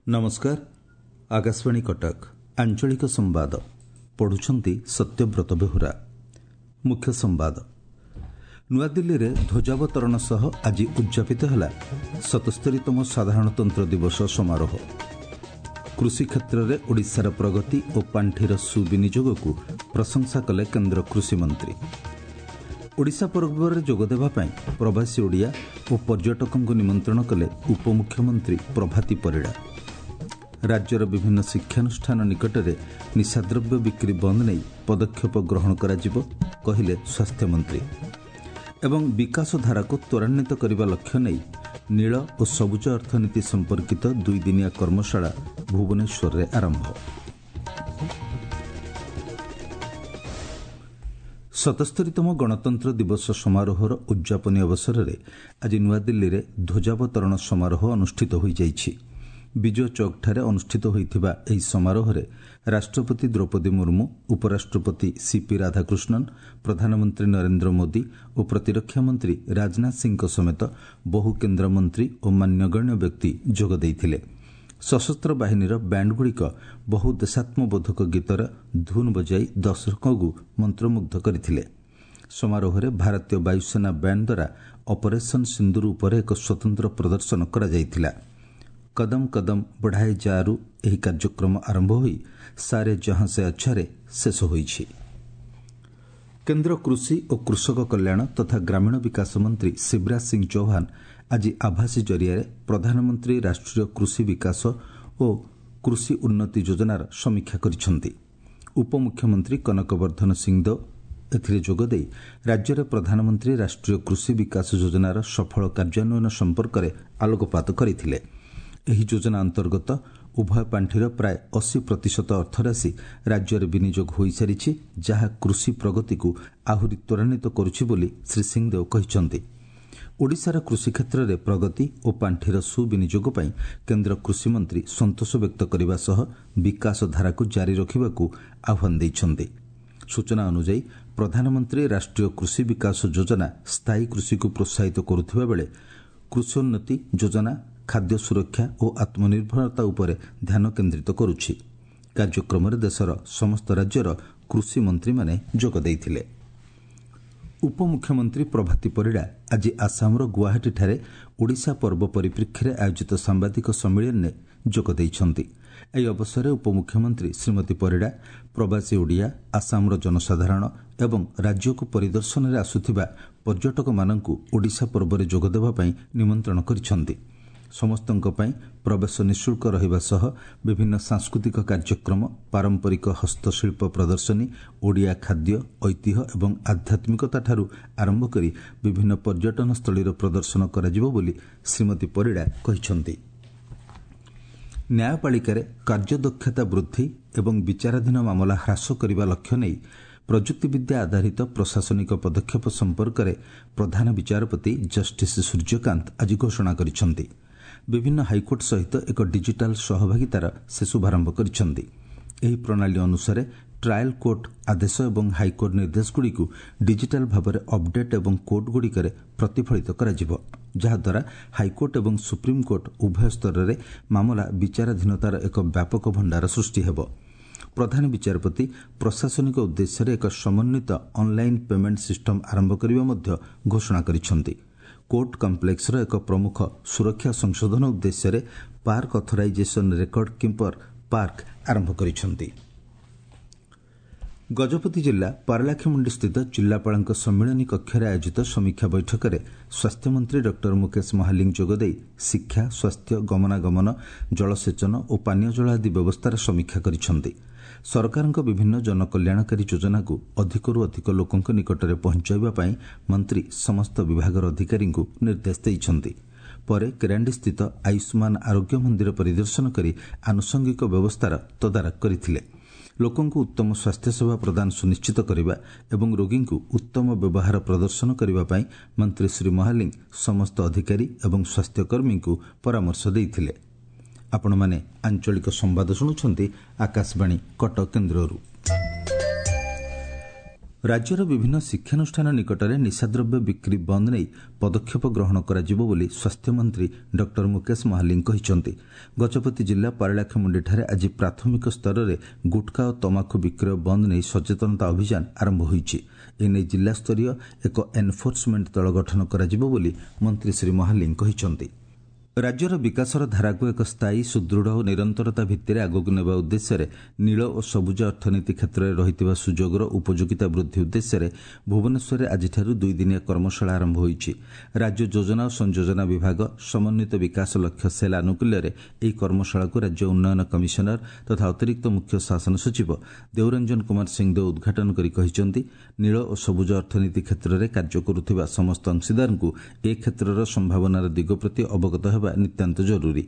ନମସ୍କାର, ଆକାଶବାଣୀ କଟକ, ଆଞ୍ଚଳିକ ସମ୍ବାଦ ପଢ଼ୁଛନ୍ତି ସତ୍ୟବ୍ରତ ବେହୁରା। ମୁଖ୍ୟ ସମ୍ବାଦ। ନୂଆଦିଲ୍ଲୀରେ ଧ୍ୱଜାବତରଣ ସହ ଆଜି ଉଦ୍ଯାପିତ ହେଲା 77ତମ ସାଧାରଣତନ୍ତ୍ର ଦିବସ ସମାରୋହ। କୃଷି କ୍ଷେତ୍ରରେ ଓଡ଼ିଶାର ପ୍ରଗତି ଓ ପାଣ୍ଠିର ସୁବିନିଯୋଗକୁ ପ୍ରଶଂସା କଲେ କେନ୍ଦ୍ର କୃଷିମନ୍ତ୍ରୀ। ଓଡ଼ିଶା ପର୍ବରେ ଯୋଗଦେବା ପାଇଁ ପ୍ରବାସୀ ଓଡ଼ିଆ ଓ ପର୍ଯ୍ୟଟକଙ୍କୁ ନିମନ୍ତ୍ରଣ କଲେ ଉପମୁଖ୍ୟମନ୍ତ୍ରୀ ପ୍ରଭାତୀ ପରିଡ଼ା। ରାଜ୍ୟର ବିଭିନ୍ନ ଶିକ୍ଷାନୁଷ୍ଠାନ ନିକଟରେ ନିଶାଦ୍ରବ୍ୟ ବିକ୍ରି ବନ୍ଦ ନେଇ ପଦକ୍ଷେପ ଗ୍ରହଣ କରାଯିବ, କହିଲେ ସ୍ୱାସ୍ଥ୍ୟମନ୍ତ୍ରୀ। ଏବଂ ବିକାଶ ଧାରାକୁ ତ୍ୱରାନ୍ୱିତ କରିବା ଲକ୍ଷ୍ୟ ନେଇ ନୀଳ ଓ ସବୁଜ ଅର୍ଥନୀତି ସମ୍ପର୍କିତ ଦୁଇଦିନିଆ କର୍ମଶାଳା ଭୁବନେଶ୍ୱରରେ ଆରମ୍ଭ। 77ତମ ଗଣତନ୍ତ୍ର ଦିବସ ସମାରୋହର ଉଦ୍ଯାପନୀ ଅବସରରେ ଆଜି ନୂଆଦିଲ୍ଲୀରେ ଧ୍ୱଜାବତରଣ ସମାରୋହ ଅନୁଷ୍ଠିତ ହୋଇଯାଇଛି। ବିଜୟ ଚୌକଠାରେ ଅନୁଷ୍ଠିତ ହୋଇଥିବା ଏହି ସମାରୋହରେ ରାଷ୍ଟ୍ରପତି ଦ୍ରୌପଦୀ ମୁର୍ମୁ, ଉପରାଷ୍ଟ୍ରପତି ସିପି ରାଧାକୃଷ୍ଣନ, ପ୍ରଧାନମନ୍ତ୍ରୀ ନରେନ୍ଦ୍ର ମୋଦି ଓ ପ୍ରତିରକ୍ଷା ମନ୍ତ୍ରୀ ରାଜନାଥ ସିଂହଙ୍କ ସମେତ ବହୁ କେନ୍ଦ୍ରମନ୍ତ୍ରୀ ଓ ମାନ୍ୟଗଣ୍ୟ ବ୍ୟକ୍ତି ଯୋଗ ଦେଇଥିଲେ। ସଶସ୍ତ୍ର ବାହିନୀର ବ୍ୟାଣ୍ଡଗୁଡ଼ିକ ବହୁ ଦେଶାତ୍ମବୋଧକ ଗୀତର ଧୁନ୍ ବଜାଇ ଦର୍ଶକଙ୍କୁ ମନ୍ତ୍ରମୁଗ୍ଧ କରିଥିଲେ। ସମାରୋହରେ ଭାରତୀୟ ବାୟୁସେନା ବ୍ୟାଣ୍ଡ ଦ୍ୱାରା ଅପରେସନ୍ ସିନ୍ଦୁର ଉପରେ ଏକ ସ୍ୱତନ୍ତ୍ର ପ୍ରଦର୍ଶନ କରାଯାଇଥିଲା। କଦମ କଦମ ବଢ଼ାଏ ଯା'ରୁ ଏହି କାର୍ଯ୍ୟକ୍ରମ ଆରମ୍ଭ ହୋଇ ସାରେ ଜହାଁ ସେ ଅଚ୍ଛାରେ ଶେଷ ହୋଇଛି। କେନ୍ଦ୍ର କୃଷି ଓ କୃଷକ କଲ୍ୟାଣ ତଥା ଗ୍ରାମୀଣ ବିକାଶ ମନ୍ତ୍ରୀ ଶିବରାଜ ସିଂ ଚୌହାନ ଆଜି ଆଭାସୀ ଜରିଆରେ ପ୍ରଧାନମନ୍ତ୍ରୀ ରାଷ୍ଟ୍ରୀୟ କୃଷି ବିକାଶ ଓ କୃଷି ଉନ୍ନତି ଯୋଜନାର ସମୀକ୍ଷା କରିଛନ୍ତି। ଉପମୁଖ୍ୟମନ୍ତ୍ରୀ କନକ ବର୍ଦ୍ଧନ ସିଂଦେଓ ଏଥିରେ ଯୋଗଦେଇ ରାଜ୍ୟରେ ପ୍ରଧାନମନ୍ତ୍ରୀ ରାଷ୍ଟ୍ରୀୟ କୃଷି ବିକାଶ ଯୋଜନାର ସଫଳ କାର୍ଯ୍ୟାନ୍ୱୟନ ସମ୍ପର୍କରେ ଆଲୋକପାତ କରିଥିଲେ। ଏହି ଯୋଜନା ଅନ୍ତର୍ଗତ ଉଭୟ ପାଣ୍ଠିର ପ୍ରାୟ 80% ଅର୍ଥରାଶି ରାଜ୍ୟରେ ବିନିଯୋଗ ହୋଇସାରିଛି, ଯାହା କୃଷି ପ୍ରଗତିକୁ ଆହୁରି ତ୍ୱରାନ୍ୱିତ କରୁଛି ବୋଲି ଶ୍ରୀ ସିଂଦେଓ କହିଛନ୍ତି। ଓଡ଼ିଶାର କୃଷି କ୍ଷେତ୍ରରେ ପ୍ରଗତି ଓ ପାଣ୍ଠିର ସୁବିନିଯୋଗ ପାଇଁ କେନ୍ଦ୍ର କୃଷିମନ୍ତ୍ରୀ ସନ୍ତୋଷ ବ୍ୟକ୍ତ କରିବା ସହ ବିକାଶ ଧାରାକୁ ଜାରି ରଖିବାକୁ ଆହ୍ୱାନ ଦେଇଛନ୍ତି। ସୂଚନା ଅନୁଯାୟୀ, ପ୍ରଧାନମନ୍ତ୍ରୀ ରାଷ୍ଟ୍ରୀୟ କୃଷି ବିକାଶ ଯୋଜନା ସ୍ଥାୟୀ କୃଷିକୁ ପ୍ରୋତ୍ସାହିତ କରୁଥିବା ବେଳେ କୃଷୋନ୍ନତି ଯୋଜନା ଖାଦ୍ୟ ସୁରକ୍ଷା ଓ ଆତ୍ମନିର୍ଭରତା ଉପରେ ଧ୍ୟାନ କେନ୍ଦ୍ରିତ କରୁଛି। କାର୍ଯ୍ୟକ୍ରମରେ ଦେଶର ସମସ୍ତ ରାଜ୍ୟର କୃଷିମନ୍ତ୍ରୀମାନେ ଯୋଗ ଦେଇଥିଲେ। ଉପମୁଖ୍ୟମନ୍ତ୍ରୀ ପ୍ରଭାତୀ ପରିଡ଼ା ଆଜି ଆସାମର ଗୁଆହାଟୀଠାରେ ଓଡ଼ିଶା ପର୍ବ ପରିପ୍ରେକ୍ଷୀରେ ଆୟୋଜିତ ସାମ୍ବାଦିକ ସମ୍ମିଳନୀରେ ଯୋଗ ଦେଇଛନ୍ତି। ଏହି ଅବସରରେ ଉପମୁଖ୍ୟମନ୍ତ୍ରୀ ଶ୍ରୀମତୀ ପରିଡ଼ା ପ୍ରବାସୀ ଓଡ଼ିଆ, ଆସାମର ଜନସାଧାରଣ ଏବଂ ରାଜ୍ୟକୁ ପରିଦର୍ଶନରେ ଆସୁଥିବା ପର୍ଯ୍ୟଟକମାନଙ୍କୁ ଓଡ଼ିଶା ପର୍ବରେ ଯୋଗଦେବା ପାଇଁ ନିମନ୍ତ୍ରଣ କରିଛନ୍ତି। ସମସ୍ତଙ୍କ ପାଇଁ ପ୍ରବେଶ ନିଃଶୁଳ୍କ ରହିବା ସହ ବିଭିନ୍ନ ସାଂସ୍କୃତିକ କାର୍ଯ୍ୟକ୍ରମ, ପାରମ୍ପରିକ ହସ୍ତଶିଳ୍ପ ପ୍ରଦର୍ଶନୀ, ଓଡ଼ିଆ ଖାଦ୍ୟ, ଐତିହ୍ୟ ଏବଂ ଆଧ୍ୟାତ୍ମିକତାଠାରୁ ଆରମ୍ଭ କରି ବିଭିନ୍ନ ପର୍ଯ୍ୟଟନସ୍ଥଳୀର ପ୍ରଦର୍ଶନ କରାଯିବ ବୋଲି ଶ୍ରୀମତୀ ପରିଡ଼ା କହିଛନ୍ତି। ନ୍ୟାୟପାଳିକାରେ କାର୍ଯ୍ୟଦକ୍ଷତା ବୃଦ୍ଧି ଏବଂ ବିଚାରାଧୀନ ମାମଲା ହ୍ରାସ କରିବା ଲକ୍ଷ୍ୟ ନେଇ ପ୍ରଯୁକ୍ତିବିଦ୍ୟା ଆଧାରିତ ପ୍ରଶାସନିକ ପଦକ୍ଷେପ ସମ୍ପର୍କରେ ପ୍ରଧାନ ବିଚାରପତି ଜଷ୍ଟିସ୍ ସୂର୍ଯ୍ୟକାନ୍ତ ଆଜି ଘୋଷଣା କରିଛନ୍ତି। ବିଭିନ୍ନ ହାଇକୋର୍ଟ ସହିତ ଏକ ଡିଜିଟାଲ ସହଭାଗିତାର ସେ ଶୁଭାରମ୍ଭ କରିଛନ୍ତି। ଏହି ପ୍ରଣାଳୀ ଅନୁସାରେ ଟ୍ରାଏଲ୍ କୋର୍ଟ ଆଦେଶ ଏବଂ ହାଇକୋର୍ଟ ନିର୍ଦ୍ଦେଶଗୁଡ଼ିକୁ ଡିଜିଟାଲ ଭାବରେ ଅପଡେଟ୍ ଏବଂ କୋର୍ଟଗୁଡ଼ିକରେ ପ୍ରତିଫଳିତ କରାଯିବ, ଯାହାଦ୍ୱାରା ହାଇକୋର୍ଟ ଏବଂ ସୁପ୍ରିମକୋର୍ଟ ଉଭୟ ସ୍ତରରେ ମାମଲା ବିଚାରାଧୀନତାର ଏକ ବ୍ୟାପକ ଭଣ୍ଡାର ସୃଷ୍ଟି ହେବ। ପ୍ରଧାନ ବିଚାରପତି ପ୍ରଶାସନିକ ଉଦ୍ଦେଶ୍ୟରେ ଏକ ସମନ୍ୱିତ ଅନ୍ଲାଇନ୍ ପେମେଣ୍ଟ ସିଷ୍ଟମ ଆରମ୍ଭ କରିବା ମଧ୍ୟ ଘୋଷଣା କରିଛନ୍ତି। କୋର୍ଟ କମ୍ପ୍ଲେକ୍ସର ଏକ ପ୍ରମୁଖ ସୁରକ୍ଷା ସଂଶୋଧନ ଉଦ୍ଦେଶ୍ୟରେ park authorisation record keeper PARK ଆରମ୍ଭ କରିଛନ୍ତି। ଗଜପତି ଜିଲ୍ଲା ପାରଳାଖେମୁଣ୍ଡିସ୍ଥିତ ଜିଲ୍ଲାପାଳଙ୍କ ସମ୍ମିଳନୀ କକ୍ଷରେ ଆୟୋଜିତ ସମୀକ୍ଷା ବୈଠକରେ ସ୍ୱାସ୍ଥ୍ୟମନ୍ତ୍ରୀ ଡକ୍ଟର ମୁକେଶ ମହାଲିଙ୍ଗ ଯୋଗଦେଇ ଶିକ୍ଷା, ସ୍ୱାସ୍ଥ୍ୟ, ଗମନାଗମନ, ଜଳସେଚନ ଓ ପାନୀୟ ଜଳ ଆଦି ବ୍ୟବସ୍ଥାର ସମୀକ୍ଷା କରିଛନ୍ତି। ସରକାରଙ୍କ ବିଭିନ୍ନ ଜନକଲ୍ୟାଣକାରୀ ଯୋଜନାକୁ ଅଧିକରୁ ଅଧିକ ଲୋକଙ୍କ ନିକଟରେ ପହଞ୍ଚାଇବା ପାଇଁ ମନ୍ତ୍ରୀ ସମସ୍ତ ବିଭାଗର ଅଧିକାରୀଙ୍କୁ ନିର୍ଦ୍ଦେଶ ଦେଇଛନ୍ତି। ପରେ କେରାଣ୍ଡିସ୍ଥିତ ଆୟୁଷ୍ମାନ ଆରୋଗ୍ୟ ମନ୍ଦିର ପରିଦର୍ଶନ କରି ଆନୁଷଙ୍ଗିକ ବ୍ୟବସ୍ଥାର ତଦାରଖ କରିଥିଲେ। ଲୋକଙ୍କୁ ଉତ୍ତମ ସ୍ୱାସ୍ଥ୍ୟସେବା ପ୍ରଦାନ ସୁନିଶ୍ଚିତ କରିବା ଏବଂ ରୋଗୀଙ୍କୁ ଉତ୍ତମ ବ୍ୟବହାର ପ୍ରଦର୍ଶନ କରିବା ପାଇଁ ମନ୍ତ୍ରୀ ଶ୍ରୀ ମହାଲିଙ୍ଗ ସମସ୍ତ ଅଧିକାରୀ ଏବଂ ସ୍ୱାସ୍ଥ୍ୟକର୍ମୀଙ୍କୁ ପରାମର୍ଶ ଦେଇଥିଲେ। ଆପଣମାନେ ଆଞ୍ଚଳିକ ସମ୍ବାଦ ଶୁଣୁଛନ୍ତି ଆକାଶବାଣୀ କଟକ କେନ୍ଦ୍ରରୁ। ରାଜ୍ୟର ବିଭିନ୍ନ ଶିକ୍ଷାନୁଷ୍ଠାନ ନିକଟରେ ନିଶାଦ୍ରବ୍ୟ ବିକ୍ରି ବନ୍ଦ ନେଇ ପଦକ୍ଷେପ ଗ୍ରହଣ କରାଯିବ ବୋଲି ସ୍ୱାସ୍ଥ୍ୟମନ୍ତ୍ରୀ ଡକ୍ଟର ମୁକେଶ ମହାଲିଙ୍ଗ କହିଛନ୍ତି। ଗଜପତି ଜିଲ୍ଲା ପାରଳାଖେମୁଣ୍ଡିଠାରେ ଆଜି ପ୍ରାଥମିକ ସ୍ତରରେ ଗୁଟ୍ଖା ଓ ତମାଖୁ ବିକ୍ରୟ ବନ୍ଦ ନେଇ ସଚେତନତା ଅଭିଯାନ ଆରମ୍ଭ ହୋଇଛି। ଏନେଇ ଜିଲ୍ଲାସ୍ତରୀୟ ଏକ ଏନ୍ଫୋର୍ସମେଣ୍ଟ ଦଳ ଗଠନ କରାଯିବ ବୋଲି ମନ୍ତ୍ରୀ ଶ୍ରୀ ମହାଲିଙ୍ଗ କହିଛନ୍ତି। ରାଜ୍ୟର ବିକାଶର ଧାରାକୁ ଏକ ସ୍ଥାୟୀ, ସୁଦୃଢ଼ ଓ ନିରନ୍ତରତା ଭିତ୍ତିରେ ଆଗକୁ ନେବା ଉଦ୍ଦେଶ୍ୟରେ ନୀଳ ଓ ସବୁଜ ଅର୍ଥନୀତି କ୍ଷେତ୍ରରେ ରହିଥିବା ସୁଯୋଗର ଉପଯୋଗିତା ବୃଦ୍ଧି ଉଦ୍ଦେଶ୍ୟରେ ଭୁବନେଶ୍ୱରରେ ଆଜିଠାରୁ ଦୁଇଦିନିଆ କର୍ମଶାଳା ଆରମ୍ଭ ହୋଇଛି। ରାଜ୍ୟ ଯୋଜନା ଓ ସଂଯୋଜନା ବିଭାଗ ସମନ୍ୱିତ ବିକାଶ ଲକ୍ଷ୍ୟ ସେଲ୍ ଆନୁକୂଲ୍ୟରେ ଏହି କର୍ମଶାଳାକୁ ରାଜ୍ୟ ଉନ୍ନୟନ କମିଶନର ତଥା ଅତିରିକ୍ତ ମୁଖ୍ୟ ଶାସନ ସଚିବ ଦେଉରଞ୍ଜନ କୁମାର ସିଂଦେଓ ଉଦ୍ଘାଟନ କରି କହିଛନ୍ତି, ନୀଳ ଓ ସବୁଜ ଅର୍ଥନୀତି କ୍ଷେତ୍ରରେ କାର୍ଯ୍ୟ କରୁଥିବା ସମସ୍ତ ଅଂଶୀଦାରଙ୍କୁ ଏ କ୍ଷେତ୍ରର ସମ୍ଭାବନାର ଦିଗ ପ୍ରତି ଅବଗତ ହେବା ନିତାନ୍ତ ଜରୁରୀ।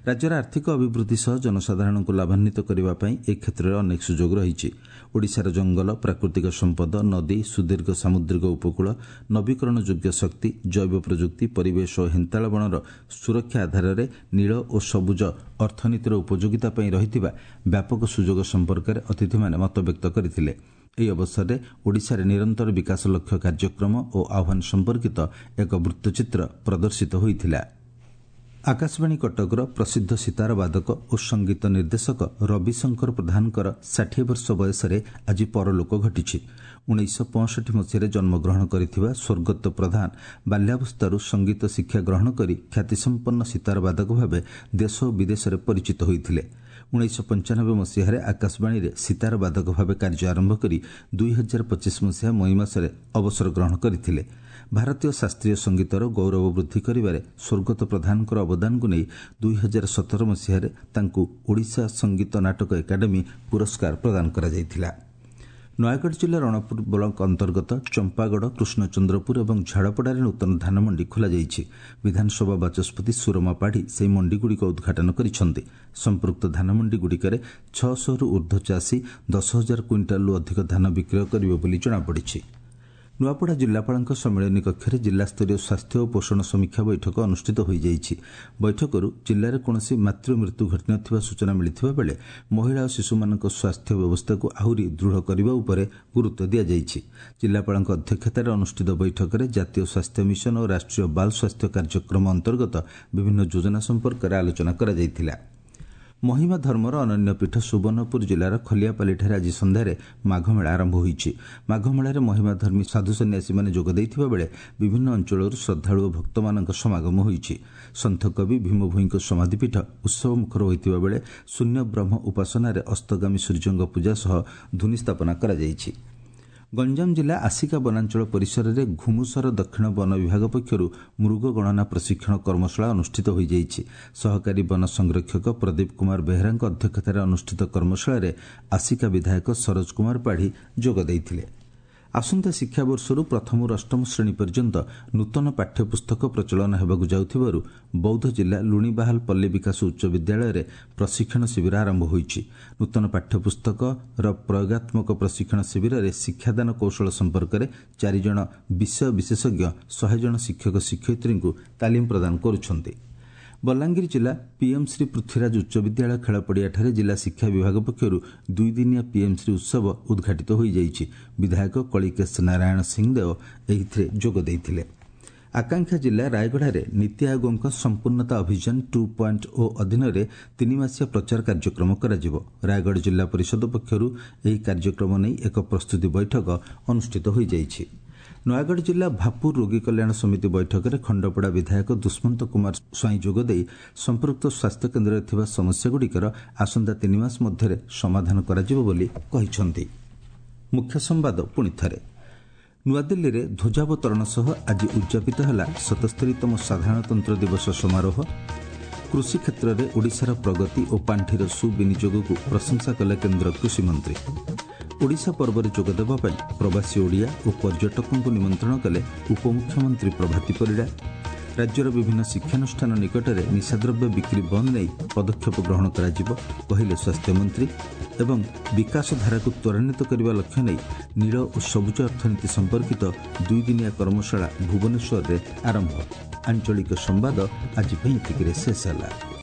ରାଜ୍ୟର ଆର୍ଥିକ ଅଭିବୃଦ୍ଧି ସହ ଜନସାଧାରଣଙ୍କୁ ଲାଭାନ୍ୱିତ କରିବା ପାଇଁ ଏ କ୍ଷେତ୍ରରେ ଅନେକ ସୁଯୋଗ ରହିଛି। ଓଡ଼ିଶାର ଜଙ୍ଗଲ, ପ୍ରାକୃତିକ ସମ୍ପଦ, ନଦୀ, ସୁଦୀର୍ଘ ସାମୁଦ୍ରିକ ଉପକୂଳ, ନବୀକରଣ ଯୋଗ୍ୟ ଶକ୍ତି, ଜୈବ ପ୍ରଯୁକ୍ତି, ପରିବେଶ ଓ ହେନ୍ତାଳ ବଣର ସୁରକ୍ଷା ଆଧାରରେ ନୀଳ ଓ ସବୁଜ ଅର୍ଥନୀତିର ଉପଯୋଗିତା ପାଇଁ ରହିଥିବା ବ୍ୟାପକ ସୁଯୋଗ ସମ୍ପର୍କରେ ଅତିଥିମାନେ ମତବ୍ୟକ୍ତ କରିଥିଲେ। ଏହି ଅବସରରେ ଓଡ଼ିଶାରେ ନିରନ୍ତର ବିକାଶ ଲକ୍ଷ୍ୟ କାର୍ଯ୍ୟକ୍ରମ ଓ ଆହ୍ୱାନ ସମ୍ପର୍କିତ ଏକ ବୃତ୍ତଚିତ୍ର ପ୍ରଦର୍ଶିତ ହୋଇଥିଲା। ଆକାଶବାଣୀ କଟକର ପ୍ରସିଦ୍ଧ ସିତାର ବାଦକ ଓ ସଙ୍ଗୀତ ନିର୍ଦ୍ଦେଶକ ରବିଶଙ୍କର ପ୍ରଧାନଙ୍କର 60 ବର୍ଷ ବୟସରେ ଆଜି ପରଲୋକ ଘଟିଛି। 1965 ମସିହାରେ ଜନ୍ମଗ୍ରହଣ କରିଥିବା ସ୍ୱର୍ଗତ ପ୍ରଧାନ ବାଲ୍ୟାବସ୍ଥାରୁ ସଙ୍ଗୀତ ଶିକ୍ଷା ଗ୍ରହଣ କରି ଖ୍ୟାତିସମ୍ପନ୍ନ ସିତାର ବାଦକ ଭାବେ ଦେଶ ଓ ବିଦେଶରେ ପରିଚିତ ହୋଇଥିଲେ। 1995 ମସିହାରେ ଆକାଶବାଣୀରେ ସିତାର ବାଦକ ଭାବେ କାର୍ଯ୍ୟ ଆରମ୍ଭ କରି 2025 ମସିହା ମଇ ମାସରେ ଅବସର ଗ୍ରହଣ କରିଥିଲେ। ଭାରତୀୟ ଶାସ୍ତ୍ରୀୟ ସଙ୍ଗୀତର ଗୌରବ ବୃଦ୍ଧି କରିବାରେ ସ୍ୱର୍ଗତ ପ୍ରଧାନଙ୍କର ଅବଦାନକୁ ନେଇ 2017 ମସିହାରେ ତାଙ୍କୁ ଓଡ଼ିଶା ସଙ୍ଗୀତ ନାଟକ ଏକାଡେମୀ ପୁରସ୍କାର ପ୍ରଦାନ କରାଯାଇଥିଲା। ନୟାଗଡ଼ ଜିଲ୍ଲା ରଣପୁର ବ୍ଲକ ଅନ୍ତର୍ଗତ ଚମ୍ପାଗଡ଼, କୃଷ୍ଣଚନ୍ଦ୍ରପୁର ଏବଂ ଝାଡ଼ପଡ଼ାରେ ନୂତନ ଧାନମଣ୍ଡି ଖୋଲାଯାଇଛି। ବିଧାନସଭା ବାଚସ୍ପତି ସୁରମା ପାଢ଼ୀ ସେହି ମଣ୍ଡିଗୁଡ଼ିକ ଉଦ୍ଘାଟନ କରିଛନ୍ତି। ସମ୍ପୃକ୍ତ ଧାନମଣ୍ଡିଗୁଡ଼ିକରେ 600ରୁ ଉର୍ଦ୍ଧ୍ୱ ଚାଷୀ 10,000 କୁଇଣ୍ଟାଲରୁ ଅଧିକ ଧାନ ବିକ୍ରୟ କରିବେ ବୋଲି ଜଣାପଡ଼ିଛି। ନୂଆପଡ଼ା ଜିଲ୍ଲାପାଳଙ୍କ ସମ୍ମିଳନୀ କକ୍ଷରେ ଜିଲ୍ଲାସ୍ତରୀୟ ସ୍ୱାସ୍ଥ୍ୟ ଓ ପୋଷଣ ସମୀକ୍ଷା ବୈଠକ ଅନୁଷ୍ଠିତ ହୋଇଯାଇଛି। ବୈଠକରୁ ଜିଲ୍ଲାରେ କୌଣସି ମାତୃମୃତ୍ୟୁ ଘଟିନଥିବା ସୂଚନା ମିଳିଥିବା ବେଳେ ମହିଳା ଓ ଶିଶୁମାନଙ୍କ ସ୍ୱାସ୍ଥ୍ୟ ବ୍ୟବସ୍ଥାକୁ ଆହୁରି ଦୃଢ଼ କରିବା ଉପରେ ଗୁରୁତ୍ୱ ଦିଆଯାଇଛି। ଜିଲ୍ଲାପାଳଙ୍କ ଅଧ୍ୟକ୍ଷତାରେ ଅନୁଷ୍ଠିତ ବୈଠକରେ ଜାତୀୟ ସ୍ୱାସ୍ଥ୍ୟ ମିଶନ ଓ ରାଷ୍ଟ୍ରୀୟ ବାଲ୍ ସ୍ୱାସ୍ଥ୍ୟ କାର୍ଯ୍ୟକ୍ରମ ଅନ୍ତର୍ଗତ ବିଭିନ୍ନ ଯୋଜନା ସମ୍ପର୍କରେ ଆଲୋଚନା କରାଯାଇଥିଲା। ମହିମା ଧର୍ମର ଅନନ୍ୟ ପୀଠ ସୁବର୍ଣ୍ଣପୁର ଜିଲ୍ଲାର ଖଲିଆପାଲିଠାରେ ଆଜି ସନ୍ଧ୍ୟାରେ ମାଘମେଳା ଆରମ୍ଭ ହୋଇଛି। ମାଘମେଳାରେ ମହିମାଧର୍ମୀ ସାଧୁ ସନ୍ନ୍ୟାସୀମାନେ ଯୋଗ ଦେଇଥିବା ବେଳେ ବିଭିନ୍ନ ଅଞ୍ଚଳରୁ ଶ୍ରଦ୍ଧାଳୁ ଓ ଭକ୍ତମାନଙ୍କ ସମାଗମ ହୋଇଛି। ସନ୍ଥକବି ଭୀମଭୋଇଙ୍କ ସମାଧିପୀଠ ଉତ୍ସବମୁଖର ହୋଇଥିବା ବେଳେ ଶୂନ୍ୟ ବ୍ରହ୍ମ ଉପାସନାରେ ଅସ୍ତଗାମୀ ସୂର୍ଯ୍ୟଙ୍କ ପୂଜା ସହ ଧୁନି ସ୍ଥାପନା କରାଯାଇଛି। ଗଞ୍ଜାମ ଜିଲ୍ଲା ଆସିକା ବନାଞ୍ଚଳ ପରିସରରେ ଘୁମୁସର ଦକ୍ଷିଣ ବନ ବିଭାଗ ପକ୍ଷରୁ ମୃଗ ଗଣନା ପ୍ରଶିକ୍ଷଣ କର୍ମଶାଳା ଅନୁଷ୍ଠିତ ହୋଇଯାଇଛି। ସହକାରୀ ବନ ସଂରକ୍ଷକ ପ୍ରଦୀପ କୁମାର ବେହେରାଙ୍କ ଅଧ୍ୟକ୍ଷତାରେ ଅନୁଷ୍ଠିତ କର୍ମଶାଳାରେ ଆସିକା ବିଧାୟକ ସରୋଜ କୁମାର ପାଢ଼ୀ ଯୋଗ ଦେଇଥିଲେ। ଆସନ୍ତା ଶିକ୍ଷାବର୍ଷରୁ ପ୍ରଥମରୁ ଅଷ୍ଟମ ଶ୍ରେଣୀ ପର୍ଯ୍ୟନ୍ତ ନୂତନ ପାଠ୍ୟପୁସ୍ତକ ପ୍ରଚଳନ ହେବାକୁ ଯାଉଥିବାରୁ ବୌଦ୍ଧ ଜିଲ୍ଲା ଲୁଣିବାହାଲ ପଲ୍ଲୀ ବିକାଶ ଉଚ୍ଚ ବିଦ୍ୟାଳୟରେ ପ୍ରଶିକ୍ଷଣ ଶିବିର ଆରମ୍ଭ ହୋଇଛି। ନୂତନ ପାଠ୍ୟପୁସ୍ତକର ପ୍ରୟୋଗାତ୍ମକ ପ୍ରଶିକ୍ଷଣ ଶିବିରରେ ଶିକ୍ଷାଦାନ କୌଶଳ ସମ୍ପର୍କରେ 4 ଜଣ ବିଷୟ ବିଶେଷଜ୍ଞ 100 ଜଣ ଶିକ୍ଷକ ଶିକ୍ଷୟିତ୍ରୀଙ୍କୁ ତାଲିମ ପ୍ରଦାନ କରୁଛନ୍ତି। ବଲାଙ୍ଗୀର ଜିଲ୍ଲା ପିଏମ୍ ଶ୍ରୀ ପୃଥ୍ୱୀରାଜ ଉଚ୍ଚ ବିଦ୍ୟାଳୟ ଖେଳପଡ଼ିଆଠାରେ ଜିଲ୍ଲା ଶିକ୍ଷା ବିଭାଗ ପକ୍ଷରୁ ଦୁଇଦିନିଆ ପିଏମ୍ ଶ୍ରୀ ଉତ୍ସବ ଉଦ୍ଘାଟିତ ହୋଇଯାଇଛି। ବିଧାୟକ କଳିକେଶ ନାରାୟଣ ସିଂଦେଓ ଏହିଥିରେ ଯୋଗ ଦେଇଥିଲେ। ଆକାଂକ୍ଷା ଜିଲ୍ଲା ରାୟଗଡ଼ାରେ ନୀତି ଆୟୋଗଙ୍କ ସମ୍ପୂର୍ଣ୍ଣତା ଅଭିଯାନ 2.0 ଅଧୀନରେ 3 ମାସିଆ ପ୍ରଚାର କାର୍ଯ୍ୟକ୍ରମ କରାଯିବ। ରାୟଗଡ଼ ଜିଲ୍ଲା ପରିଷଦ ପକ୍ଷରୁ ଏହି କାର୍ଯ୍ୟକ୍ରମ ନେଇ ଏକ ପ୍ରସ୍ତୁତି ବୈଠକ ଅନୁଷ୍ଠିତ ହୋଇଯାଇଛି। ନୟାଗଡ଼ ଜିଲ୍ଲା ଭାପୁର ରୋଗୀ କଲ୍ୟାଣ ସମିତି ବୈଠକରେ ଖଣ୍ଡପଡ଼ା ବିଧାୟକ ଦୁଷ୍ମନ୍ତ କୁମାର ସ୍ୱାଇଁ ଯୋଗଦେଇ ସମ୍ପୃକ୍ତ ସ୍ୱାସ୍ଥ୍ୟକେନ୍ଦ୍ରରେ ଥିବା ସମସ୍ୟାଗୁଡ଼ିକର ଆସନ୍ତା 3 ମାସ ମଧ୍ୟରେ ସମାଧାନ କରାଯିବ ବୋଲି କହିଛନ୍ତି। ମୁଖ୍ୟ ସମ୍ବାଦ ପୁଣି ଥରେ। ନୂଆଦିଲ୍ଲୀରେ ଧ୍ୱଜାବତରଣ ସହ ଆଜି ଉଦ୍ଯାପିତ ହେଲା 77ତମ ସାଧାରଣତନ୍ତ୍ର ଦିବସ ସମାରୋହ। କୃଷି କ୍ଷେତ୍ରରେ ଓଡ଼ିଶାର ପ୍ରଗତି ଓ ପାଣ୍ଠିର ସୁବିନିଯୋଗକୁ ପ୍ରଶଂସା କଲେ କେନ୍ଦ୍ର କୃଷିମନ୍ତ୍ରୀ। ଓଡ଼ିଶା ପର୍ବରେ ଯୋଗଦେବା ପାଇଁ ପ୍ରବାସୀ ଓଡ଼ିଆ ଓ ପର୍ଯ୍ୟଟକଙ୍କୁ ନିମନ୍ତ୍ରଣ କଲେ ଉପମୁଖ୍ୟମନ୍ତ୍ରୀ ପ୍ରଭାତୀ ପରିଡ଼ା। ରାଜ୍ୟର ବିଭିନ୍ନ ଶିକ୍ଷାନୁଷ୍ଠାନ ନିକଟରେ ନିଶାଦ୍ରବ୍ୟ ବିକ୍ରି ବନ୍ଦ ନେଇ ପଦକ୍ଷେପ ଗ୍ରହଣ କରାଯିବ କହିଲେ ସ୍ୱାସ୍ଥ୍ୟମନ୍ତ୍ରୀ। ଏବଂ ବିକାଶ ଧାରାକୁ ତ୍ୱରାନ୍ୱିତ କରିବା ଲକ୍ଷ୍ୟ ନେଇ ନୀଳ ଓ ସବୁଜ ଅର୍ଥନୀତି ସମ୍ପର୍କିତ ଦୁଇଦିନିଆ କର୍ମଶାଳା ଭୁବନେଶ୍ୱରରେ ଆରମ୍ଭ। ଆଞ୍ଚଳିକ ସମ୍ବାଦ ଆଜି ପାଇଁ ଏତିକିରେ ଶେଷ ହେଲା।